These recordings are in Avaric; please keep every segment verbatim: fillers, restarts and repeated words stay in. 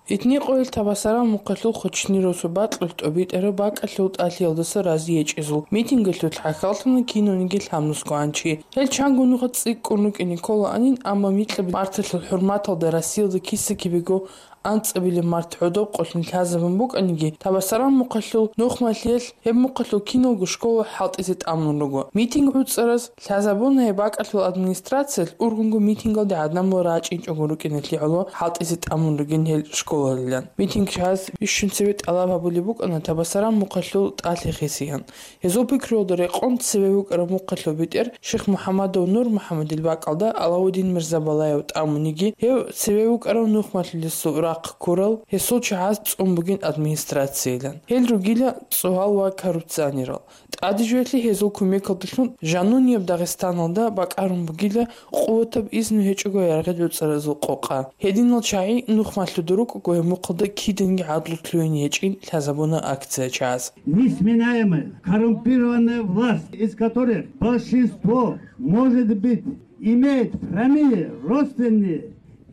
Итни къоялъ Табасаран мухъалъул Хочни росу бакьулъ тӀобитӀараб бакӀалъул тӀалъиялдаса рази гьечӀезул митингалъулъ хӀахьаллъана кинавниги лъабнусгоан чи. Гьел чанго нуха цӀикӀкӀун рукӀине кколаанин, амма микьаб марталъул хӀурматалда Россиялда киса-кибего анцӀабилеб март гӀодоб къолъун лъазабун букӀаниги, Табасаран мухъалъул нухмалъиялъ гьеб мухъалъул киналго школа хӀалтӀизе тӀамун руго. Митинг гӀуцӀараз лъазабуна гьеб бакӀалъул администрациялъ ургъунго митингалде гӀадамал рачӀинчӀого рукӀиналъе гӀоло хӀалтӀизе тӀамун ругин гьел школалилан. Митинг чагӀаз бищун цебе тӀалаб гьабулеб букӀана Табасаран мухъалъул тӀалъи хисеян. Гьезул пикруялда рекъон цеве вукӀарав мухъалъул бетӀер Шихмухьамадов Нурмухьамадил бакӀалда Алаудин Мирзабалаев тӀамуниги, гьев цеве вукӀарав нухмалъулесул рахъ ккурал, гьесул чагӀаз цӀун бугин администрациялан. Гьел ругила цӀогьал ва коррупционерал. ТӀаде жоялъе гьезул кумекалдалъун жанунияб Дагъистаналда бакӀарун бугила къуватаб изну гьечӀого яргъи доцӀаразул къокъа. Гьединал чагӀи нухмалъуда рукӀого гьеб мухъалда киданги гӀадлу лъугьине гьечӀин лъазабуна акция чагӀаз. Несменяемая, коррумпированная власть, из которых большинство, может быть, имеет прямые, родственные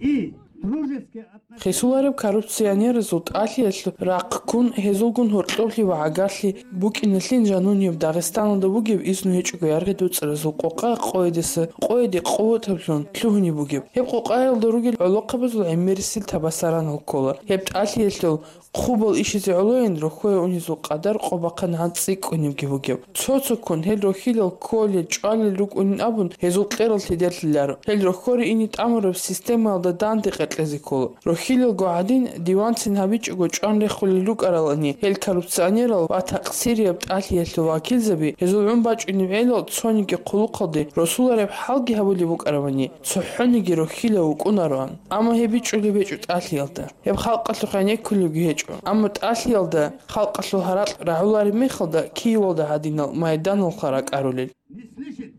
и дружеские отношения. Хисулареб коррупционерасул тӀалъиялъул рахъ ккун, гьезулгун гьоркьоблъи ва гӀагарлъи букӀиналъин жанунияб Дагъистаналда бугеб изну гьечӀого яргъи доцӀаразул къокъа къоядаса къояде къуватаблъун лъугьунеб бугеб. Гьеб къокъаялда ругел гӀолохъабазул гӀемерисел Табасаранал ккола. Гьеб тӀалъиялъул хъубал ишизе гӀолойин рохьое унезул къадар къо бахъанагӀан цӀикӀкӀунебги бугеб. Цо-цоккун гьел рохьилал кколел, чӀвалел рукӀунин абун, гьезул кьерал лъидерлъиларо. Гьел рохьоре ине тӀамураб системаялда данде къекълъизе ккола. Рохьилалго гӀадин, диванцин гьабичӀого чӀван рехулел рукӀаралани, гьел коррупционерал ва такъсирияб тӀалъиялъул вакилзаби гьезул гӀун бачӀунеб гӀелал цониги хъулухъалде росулареб хӀалги гьабулеб букӀаравани, цохӀониги рохьилав вукӀунароан. Амма гьеб бичӀчӀулеб гьечӀо тӀалъиялда. Гьеб халкъалъухъ гӀенеккулебги гьечӀо. Амма тӀалъиялда халкъалъул гьаракь рагӀулареб мехалда Киевалда гьадинал майданалха ракӀарулел. Не слышит,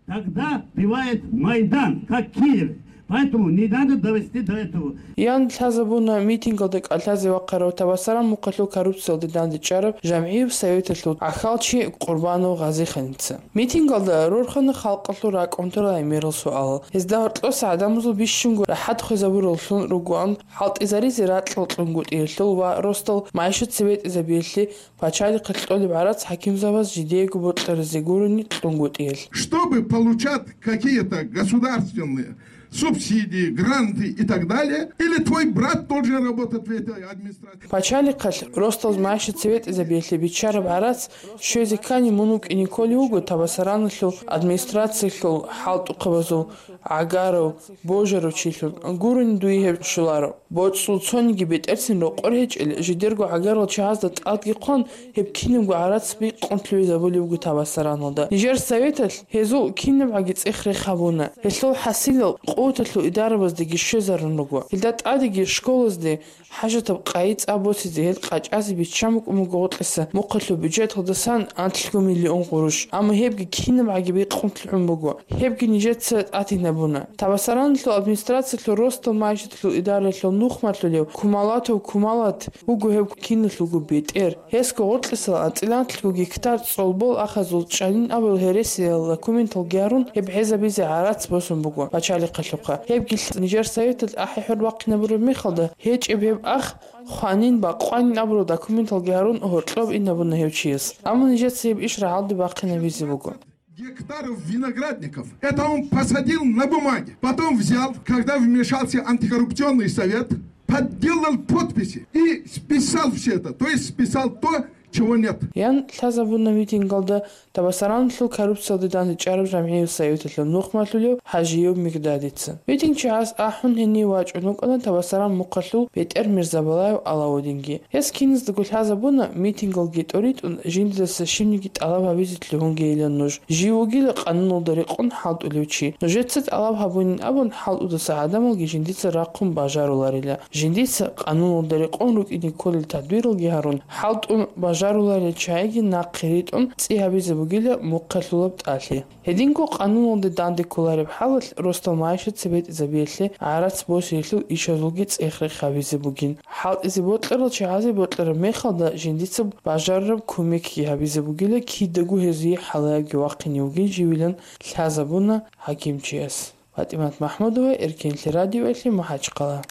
тогда бывает Майдан, как Киев. Поэтому не надо довести до этого. Ян лъазабуна митингалда кӀалъазе вахъарав Табасаран мухъалъул коррупциялде дандечӀараб жамгӀияб советалъул гӀахьалчи Къурбанов Гъазиханица. Митингалда рорхана халкъалъул ракӀ унтарал гӀемерал суалал. Гьезда гьоркьоса гӀадамазул бищунго рахӀат хвезабураллъун ругоан хӀалтӀизаризе ракьал кьунгутӀиялъул ва росдал магӀишат цебетӀезабиялъе пачалихъе кьолеб гӀарац хӀакимзабаз жидеего бокьаразе гурони кьунгутӀиялъ. Чтобы получать какие-то государственные субсидии, гранты и так далее, или твой брат должен работать в этой администрации? Пачалихъалъ росдал магӀишат цебетӀезабиялъе биччараб гӀарац щвезе ккани мун вукӀине кколев вуго Табасараналъул администрациялъул хӀалтӀухъабазул гӀагарав, божарав чилъун, гурони дуе гьеб щоларо. БоцӀул цониги бетӀерцин рокъор гьечӀел, жидерго гӀагарал чагӀазда тӀадги хъван, гьеб кинабго гӀарац бикъун лъугӀизабулеб буго Табасараналда. Нижер советалъ гьезул кинабгӀаги цӀех-рех гьабуна. Гьелъул хӀасилал къуваталъул идарабаздаги щвезарун руго. Гьелда тӀадеги школазде хӀажатаб къайи-цӀа босизе гьел къачӀазе биччан букӀун буго гъоркьиса мухъалъул бюджеталдасан анлъго миллион гъурущ, амма гьебги кинабгӀаги бикъун лъугӀун буго. Гьебги нижеца тӀадинабуна. Табасараналъул администрациялъул росдал магӀишаталъул идараялъул нухмалъулев Кумалатов Кумалат вуго гьеб киналъулго бетӀер. Гьесго гъоркьисал анцӀила анлъго гектар цӀолбол ахазул чӀанин абурал гьересиял документалги гьарун, гьеб гӀезабизе гӀарац босун буго пачалихъалъухъа. Гьебги нижер советалъ ахӀи-хӀур бахъинабураб мехалда, гьечӀеб гьеб ах хванин, бакъванин абурал документалги гьарун гьоркьоб инабуна гьев чияс. Амма нижеца гьеб иш рагӀалде бахъинабизе буго. Гектаров виноградников. Это он посадил на бумаге. Потом взял, когда вмешался антикоррупционный совет, подделал подписи и списал все это. То есть списал то, чего нет. Ян лъазабуна митингалда Табасараналъул коррупциялде дандечӀараб жамгӀиял советалъул нухмалъулев ХӀажиев Мигдадица. Митинг чагӀаз ахӀун гьенив вачӀун вукӀана Табасаран мухъалъул бетӀер Мирзабалаев Алаудинги. Гьес киназдаго лъазабуна, митингалги тӀоритӀун, жиндидаса щибниги тӀалаб гьабизе лъугьунгейилан нуж. Жив вугила къануналда рекъон хӀалтӀулев чи. Нужеца тӀалаб гьабунин абун, хӀалтӀудаса гӀадамалги жиндица рахъун бажаруларила. Жиндица къануналда рекъон рукӀине кколел тадбиралги гьарун, хӀалтӀун бажаруларел чагӀиги нахъе ритӀун цӀи гьабизе бугила мухъалъулаб тӀалъи. Гьединго къануналде данде кколареб хӀалалъ росдал магӀишат цебетӀезабиялъе гӀарац босиялъул ишазулги цӀех-рех гьабизе бугин. ХӀалтӀизе бокьарал чагӀазе бокьараб мехалда жиндица бажарараб кумекги гьабизе бугила, кидаго гьезие хӀалаябги вахъине вугин живилан лъазабуна хӀакимчияс. ФатӀимат МахӀмудова, Эркенлъи радиоялъе, МахӀачхъала.